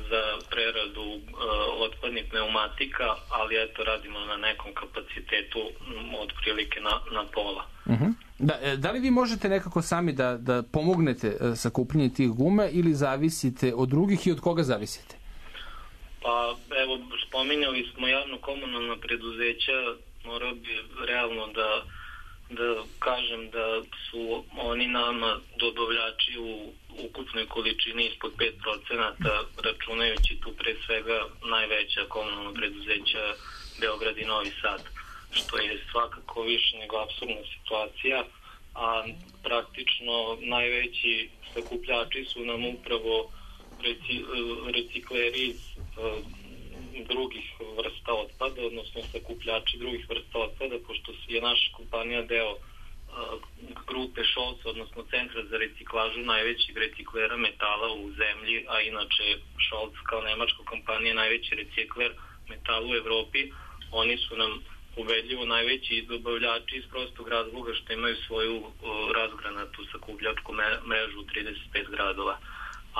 za preradu otpadnih pneumatika, ali eto radimo na nekom kapacitetu otprilike na pola. Da li vi možete nekako sami da pomognete sakupljenje tih guma ili zavisite od drugih i od koga zavisite? Pa evo, spominjali smo javno-komunalna preduzeća, morao bi realno da kažem da su oni nama dobavljači u ukupnoj količini ispod 5%, računajući tu pre svega najveća komunalna preduzeća Beograd i Novi Sad, što je svakako više nego apsurdna situacija, a praktično najveći sakupljači su nam upravo recikleri iz drugih vrsta otpada, odnosno sakupljači drugih vrsta otpada, pošto je naša kompanija deo grupe Scholz, odnosno Centra za reciklažu najvećeg reciklera metala u zemlji, a inače Scholz kao nemačka kompanija najveći recikler metala u Evropi. Oni su nam ubedljivo najveći dobavljači iz prostog razloga što imaju svoju razgranatu sakupljačku mrežu u 35 gradova,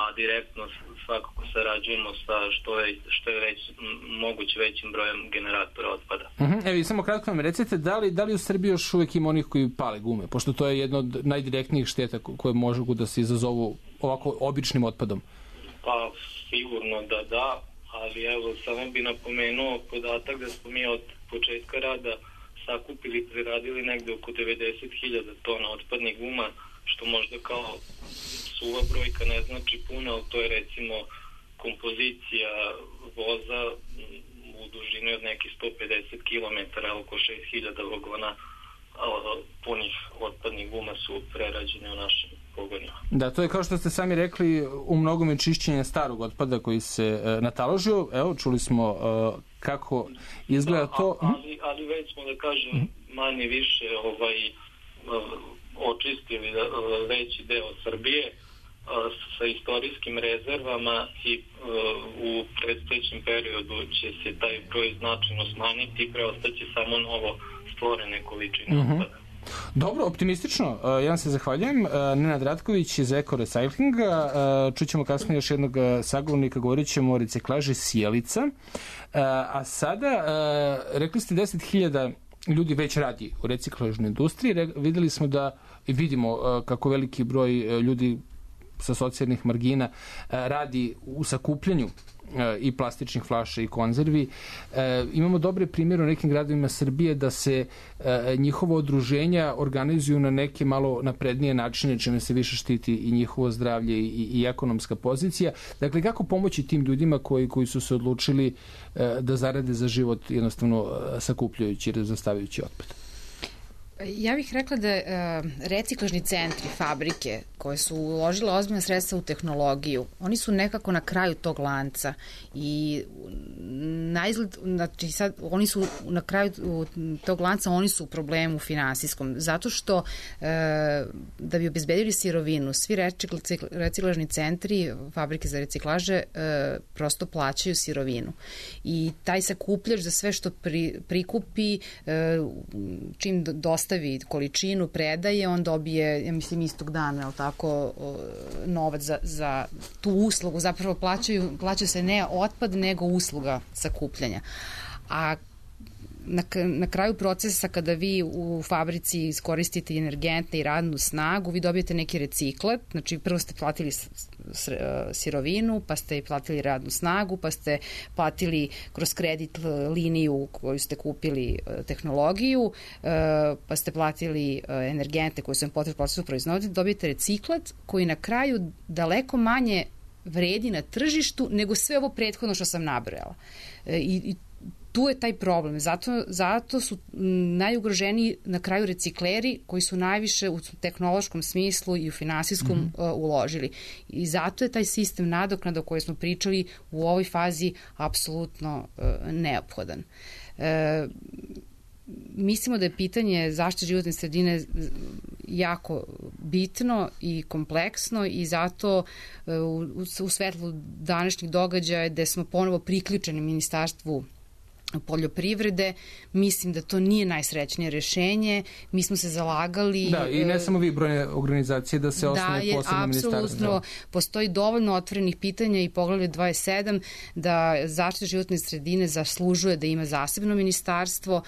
a direktno svakako sarađujemo sa što je moguće većim brojem generatora otpada. Evo, samo kratko nam recite, da li u Srbiji još uvijek ima onih koji pale gume, pošto to je jedno od najdirektnijih šteta koje mogu da se izazovu ovako običnim otpadom? Pa sigurno da, ali evo samo bi napomenuo podatak da smo mi od početka rada sakupili i preradili negde oko 90.000 tona otpadnih guma, što možda kao suva brojka ne znači puno, ali to je recimo kompozicija voza u dužini od nekih 150 km, oko 6.000 vagona punih otpadnih guma su prerađene u našim pogonima. Da, to je kao što ste sami rekli, u mnogome čišćenje starog otpada koji se nataložio. Evo, čuli smo kako izgleda to. Ali već smo, da kažem, manje više očistili veći deo Srbije sa istorijskim rezervama i u predstojećem periodu će se taj broj značajno smanjiti i preostaće samo novo stvorene količine otpada. Dobro, optimistično. Ja vam se zahvaljujem. Nenad Ratković iz Eco Recyclinga. Čućemo kasnije još jednog sagovornika, govorit ćemo o reciklaži sjelica. A sada, rekli ste 10.000 ljudi već radi u reciklažnoj industriji. Videli smo vidimo kako veliki broj ljudi sa socijalnih margina radi u sakupljanju i plastičnih flaša i konzervi. Imamo dobre primjere u nekim gradovima Srbije da se njihova udruženja organizuju na neke malo naprednije načine, čime se više štiti i njihovo zdravlje i ekonomska pozicija. Dakle, kako pomoći tim ljudima koji su se odlučili da zarade za život jednostavno sakupljajući i razvrstavajući otpad? Ja bih rekla da reciklažni centri, fabrike koje su uložile ozbiljna sredstva u tehnologiju, oni su nekako na kraju tog lanca i na izgled, znači sad, oni su na kraju tog lanca, oni su u problemu finansijskom, zato što da bi obezbedili sirovinu, svi reciklažni centri, fabrike za reciklaže prosto plaćaju sirovinu i taj sakupljač za sve što prikupi, čim dostavi količinu, predaje, on dobije, ja mislim, istog dana, je li tako, novac za tu uslugu. Zapravo plaća se ne otpad, nego usluga sakupljanja. A na kraju procesa, kada vi u fabrici iskoristite energente i radnu snagu, vi dobijete neki reciklat, znači prvo ste platili sirovinu, pa ste platili radnu snagu, pa ste platili kroz kredit liniju koju ste kupili tehnologiju, pa ste platili energente koje su vam potrebni procesu proizvodnje, dobijete reciklat koji na kraju daleko manje vredi na tržištu nego sve ovo prethodno što sam nabrojala. I tu je taj problem. Zato su najugroženiji na kraju recikleri koji su najviše u tehnološkom smislu i u finansijskom uložili. I zato je taj sistem nadoknada o kojoj smo pričali u ovoj fazi apsolutno neophodan. Mislimo da je pitanje zaštite životne sredine jako bitno i kompleksno i zato u svetlu današnjih događaja gde smo ponovo priključeni Ministarstvu poljoprivrede, mislim da to nije najsrećnije rešenje. Mi smo se zalagali... Da, i ne samo vi, brojne organizacije, da se osnovi posebno ministarstvo. Da, apsolutno. Postoji dovoljno otvorenih pitanja i poglavlje 27 da zaštita životne sredine zaslužuje da ima zasebno ministarstvo.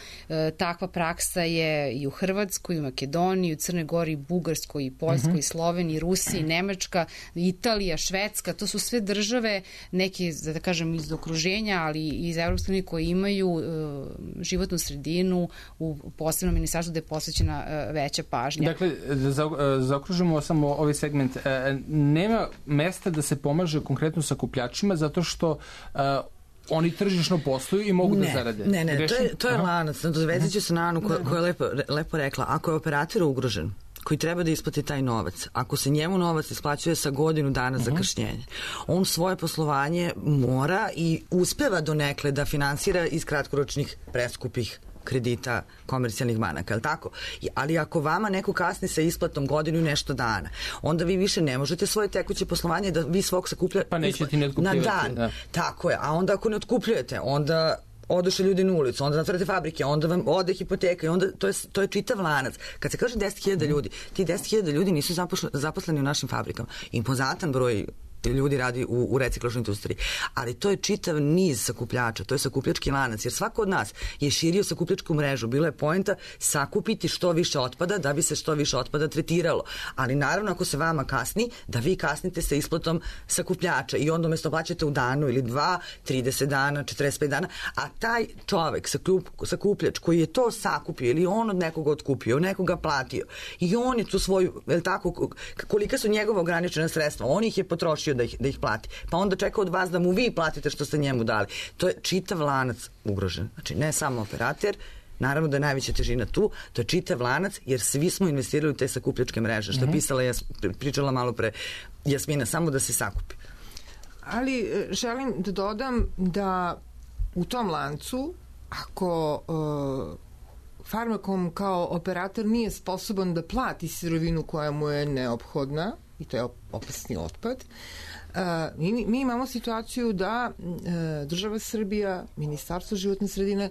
Takva praksa je i u Hrvatskoj, i u Makedoniji, i u Crnoj Gori, i Bugarskoj, i Poljskoj, i Sloveniji, i Rusiji, i Nemačka, Italija, Švedska. To su sve države, neke, da kažem, iz okruženja, ali i iz Evropske unije koje imaju životnu sredinu u posebnom ministarstvu gde je posvećena veća pažnja. Dakle, da zaokružimo samo ovaj segment, nema mesta da se pomaže konkretno sakupljačima zato što oni tržišno posluju i mogu da zarade. Ne, to je lanac. Dovezit ću se na Anu koja je lepo rekla. Ako je operator ugrožen, koji treba da isplati taj novac, ako se njemu novac isplaćuje sa godinu dana zakašnjenja, on svoje poslovanje mora i uspeva donekle da finansira iz kratkoročnih preskupih kredita komercijalnih banaka, je li tako? Ali ako vama neko kasni sa isplatom godinu i nešto dana, onda vi više ne možete svoje tekuće poslovanje da vi svog sakuplja pa nećete ne otkupljivati na dan. Da. Tako je. A onda ako ne otkupljujete, onda odoše ljudi na ulicu, onda zatvorite fabrike, onda vam ode hipoteka i onda to je čitav lanac. Kad se kaže 10.000 ljudi, ti 10.000 ljudi nisu zaposleni u našim fabrikama. Impozantan broj ljudi radi u reciklažnoj industriji. Ali to je čitav niz sakupljača, to je sakupljački lanac, jer svako od nas je širio sakupljačku mrežu. Bilo je poenta sakupiti što više otpada da bi se što više otpada tretiralo. Ali naravno ako se vama kasni, da vi kasnite sa isplatom sakupljača i onda umesto plaćate u danu ili dva, 30 dana, 45 dana, a taj čovek, sakupljač koji je to sakupio ili on od nekoga otkupio, nekoga platio i on je tu svoju, tako, kolika su njegova ograničena sredstva, on ih je potrošio da ih plati. Pa onda čeka od vas da mu vi platite što ste njemu dali. To je čitav lanac ugrožen. Znači, ne samo operator, naravno da je najveća težina tu, to je čitav lanac, jer svi smo investirali u te sakupljačke mreže, što je pričala malo pre Jasmina, samo da se sakupi. Ali želim da dodam da u tom lancu, ako Farmakom kao operator nije sposoban da plati sirovinu koja mu je neophodna, i to je opasni otpad, mi imamo situaciju da država Srbija, Ministarstvo životne sredine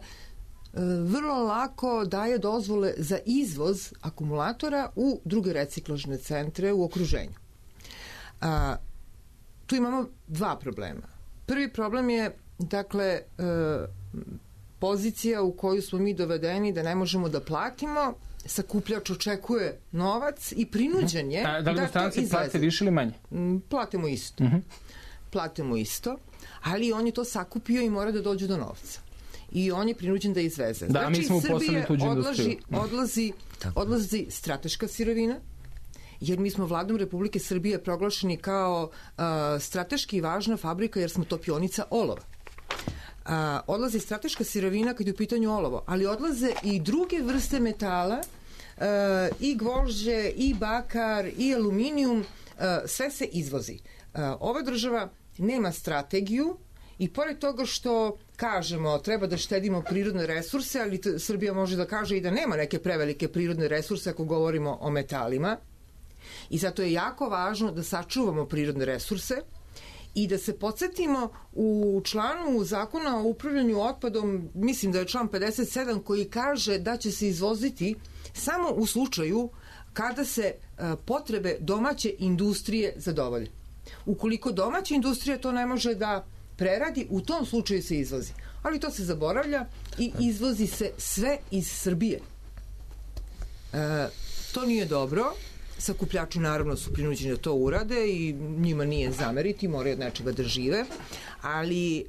vrlo lako daje dozvole za izvoz akumulatora u druge reciklažne centre u okruženju. Tu imamo dva problema. Prvi problem je, dakle, pozicija u koju smo mi dovedeni da ne možemo da platimo, sakupljač očekuje novac i prinuđen je da li stranci plate više ili manje? Platimo isto. Platimo isto, ali on je to sakupio i mora da dođe do novca. I on je prinuđen da izveze. Da, znači, mi smo uposlali tuđu industriju. Odlazi strateška sirovina, jer mi smo vladom Republike Srbije proglašeni kao strateški važna fabrika jer smo topionica olova. Odlazi strateška sirovina kad je u pitanju olovo, ali odlaze i druge vrste metala i gvožđe, i bakar, i aluminijum, sve se izvozi. Ova država nema strategiju i pored toga što kažemo treba da štedimo prirodne resurse, ali Srbija može da kaže i da nema neke prevelike prirodne resurse ako govorimo o metalima. I zato je jako važno da sačuvamo prirodne resurse i da se podsjetimo u članu zakona o upravljanju otpadom, mislim da je član 57 koji kaže da će se izvoziti samo u slučaju kada se potrebe domaće industrije zadovolje. Ukoliko domaća industrija to ne može da preradi, u tom slučaju se izvozi. Ali to se zaboravlja i izvozi se sve iz Srbije. To nije dobro. Sakupljači naravno su prinuđeni da to urade i njima nije zameriti, moraju od nečega da žive, ali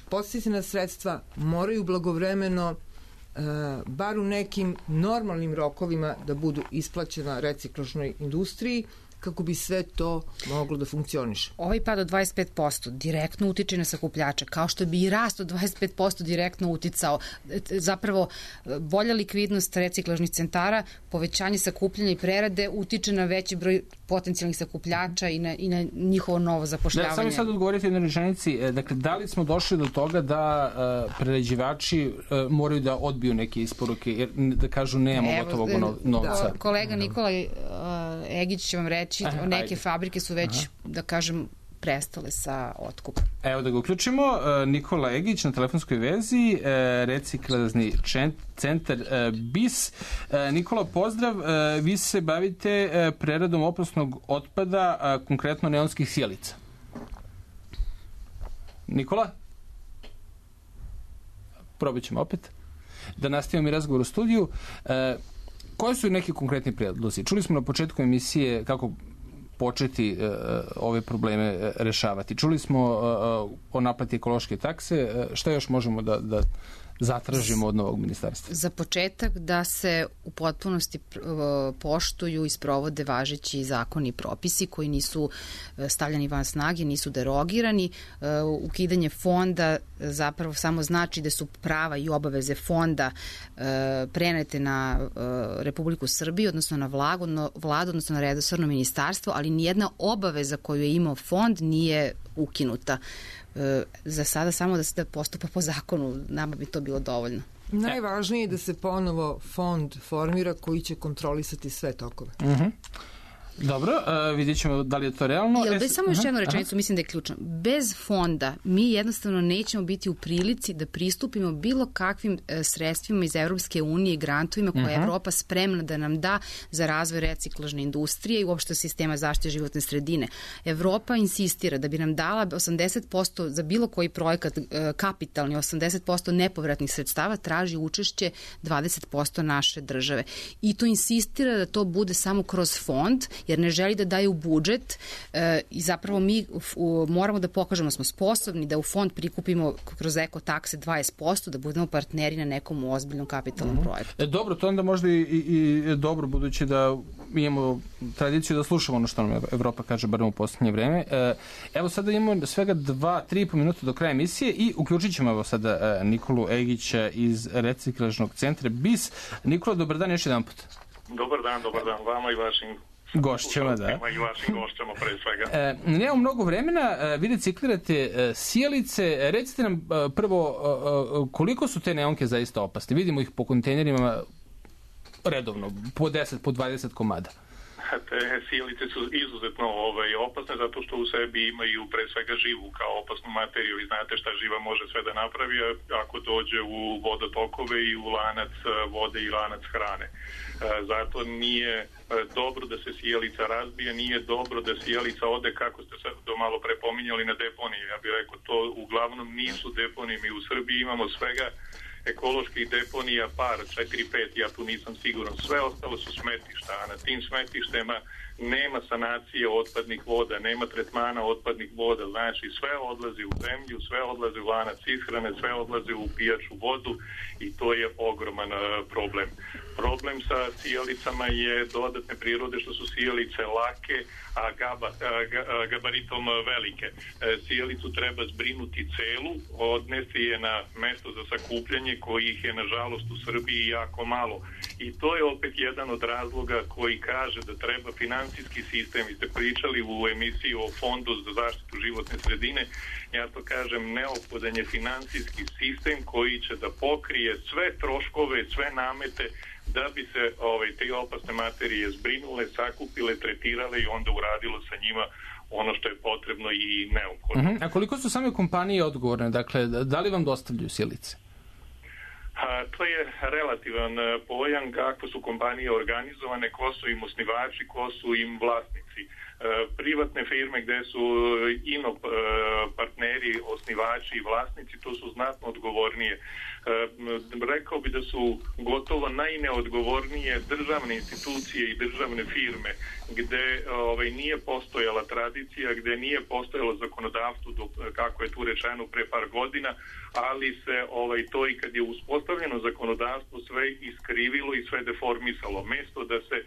podsticajna sredstva moraju blagovremeno bar u nekim normalnim rokovima da budu isplaćena reciklažnoj industriji kako bi sve to moglo da funkcioniše. Ovaj pad od 25% direktno utiče na sakupljače, kao što bi i rast od 25% direktno uticao. Zapravo, bolja likvidnost reciklažnih centara, povećanje sakupljanja i prerade utiče na veći broj potencijalnih sakupljača i na njihovo novo zapošljavanje. Samo sad odgovorite na rečenici, dakle, da li smo došli do toga da prerađivači moraju da odbiju neke isporuke, jer da kažu nemamo gotovog novca? Kolega Nikola Egić će vam reći, neke fabrike su već, da kažem, prestale sa otkupom. Evo da ga uključimo. Nikola Egić na telefonskoj vezi, reciklažni centar BIS. Nikola, pozdrav. Vi se bavite preradom opasnog otpada, konkretno neonskih sjelica. Nikola? Probat ćemo opet. Da nastavimo i razgovor u studiju. Koji su neki konkretni predlozi? Čuli smo na početku emisije kako početi ove probleme rešavati. Čuli smo o naplati ekološke takse. Šta još možemo da zatražimo od novog ministarstva? Za početak da se u potpunosti poštuju i sprovode važeći zakoni i propisi koji nisu stavljani van snage, nisu derogirani. Ukidanje fonda zapravo samo znači da su prava i obaveze fonda prenete na Republiku Srbiju, odnosno na vladu, odnosno na resorno ministarstvo, ali nijedna obaveza koju je imao fond nije ukinuta. Za sada samo da se postupa po zakonu, nama bi to bilo dovoljno. Najvažnije je da se ponovo fond formira koji će kontrolisati sve tokove. Dobro, vidjet ćemo da li je to realno. Samo još jednu rečenicu, mislim da je ključno. Bez fonda mi jednostavno nećemo biti u prilici da pristupimo bilo kakvim sredstvima iz Evropske unije i grantovima koje je Evropa spremna da nam da za razvoj reciklažne industrije i uopšte sistema zaštite životne sredine. Evropa insistira da bi nam dala 80% za bilo koji projekat kapitalni, 80% nepovratnih sredstava, traži učešće 20% naše države. I to insistira da to bude samo kroz fond, jer ne želi da daju budžet i zapravo mi moramo da pokažemo da smo sposobni da u fond prikupimo kroz ekotakse 20%, da budemo partneri na nekom ozbiljnom kapitalnom projektu. Dobro, to onda možda i dobro, budući da imamo tradiciju da slušamo ono što nam Evropa kaže, barem u poslednje vreme. Evo sada imamo svega 2-3,5 minuta do kraja emisije i uključit ćemo evo sada Nikolu Egića iz reciklažnog centra BIS. Nikola, dobar dan još jedan put. Dobar dan vama i vašim gošćama, da. I vašim gošćama pre svega. Nemamo mnogo vremena, vi reciklirate sjelice. Recite nam prvo koliko su te neonke zaista opasne? Vidimo ih po kontejnerima redovno, po 10, po 20 komada. Te sjelice su izuzetno opasne zato što u sebi imaju pre svega živu kao opasnu materiju i znate šta živa može sve da napravi ako dođe u vodotokove i u lanac vode i lanac hrane. Zato nije dobro da se sjelica razbije, nije dobro da sjelica ode, kako ste sad to malo prepominjali, na deponije. Ja bih rekao, to uglavnom nisu deponije. Mi u Srbiji imamo svega ekoloških deponija par, 4-5, ja tu nisam siguran. Sve ostalo su smetišta, a na tim smetištema nema sanacije otpadnih voda, nema tretmana otpadnih voda, znači sve odlazi u zemlju, sve odlazi u lanac ishrane, sve odlazi u pijaču vodu i to je ogroman problem. Problem sa sijalicama je dodatne prirode što su sijalice lake, a gabaritom velike. Sijalicu treba zbrinuti celu, odnesti je na mesto za sakupljanje kojih je nažalost u Srbiji jako malo. I to je opet jedan od razloga koji kaže da treba finansijski sistem. Vi ste pričali u emisiji o Fondu za zaštitu životne sredine, ja to kažem, neophodan je finansijski sistem koji će da pokrije sve troškove, sve namete da bi se te opasne materije zbrinule, sakupile, tretirale i onda uradilo sa njima ono što je potrebno i neophodno. A koliko su same kompanije odgovorne? Dakle, da li vam dostavljaju sijalice? To je relativan pojam kako su kompanije organizovane, ko su im osnivači, ko su im vlasnici. Privatne firme gde su partneri, osnivači i vlasnici, to su znatno odgovornije. Rekao bi da su gotovo najneodgovornije državne institucije i državne firme gde nije postojala tradicija, gde nije postojalo zakonodavstvo kako je tu rečeno pre par godina, ali se to i kad je uspostavljeno zakonodavstvo sve iskrivilo i sve deformisalo. Mesto da se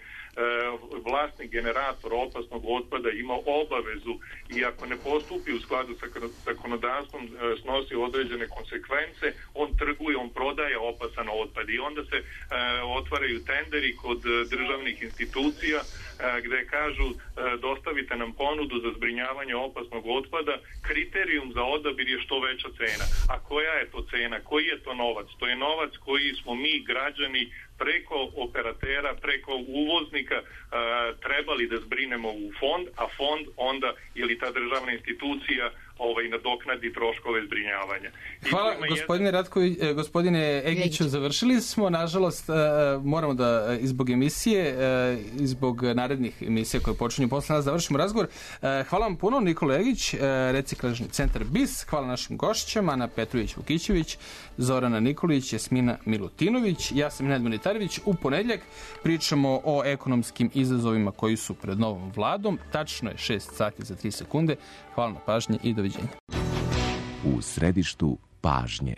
vlasnik generator opasnog otpada ima obavezu i ako ne postupi u skladu sa zakonodavstvom snosi određene konsekvence, on trguje, on prodaje opasan otpad i onda se otvaraju tenderi kod državnih institucija gde kažu dostavite nam ponudu za zbrinjavanje opasnog otpada, kriterijum za odabir je što veća cena. A koja je to cena? Koji je to novac? To je novac koji smo mi građani preko operatera, preko uvoznika trebali da zbrinemo u fond, a fond onda ili ta državna institucija nadoknadi troškove zbrinjavanja. Hvala gospodine Ratković, gospodine Egiću, završili smo, nažalost moramo da zbog emisije, zbog narednih emisija koje počinju posle nas završimo razgovor. Hvala vam puno, Nikola Egić, Reciklažni centar BIS, hvala našim gošćama, Ana Petrović-Vukićević, Zorana Nikolić, Jasmina Milutinović, ja sam Nenad Monitarević. U ponedjeljak pričamo o ekonomskim izazovima koji su pred novom vladom. Tačno je 6 sati za 3 sekunde. Hvala na pažnji i doviđenja. U središtu pažnje.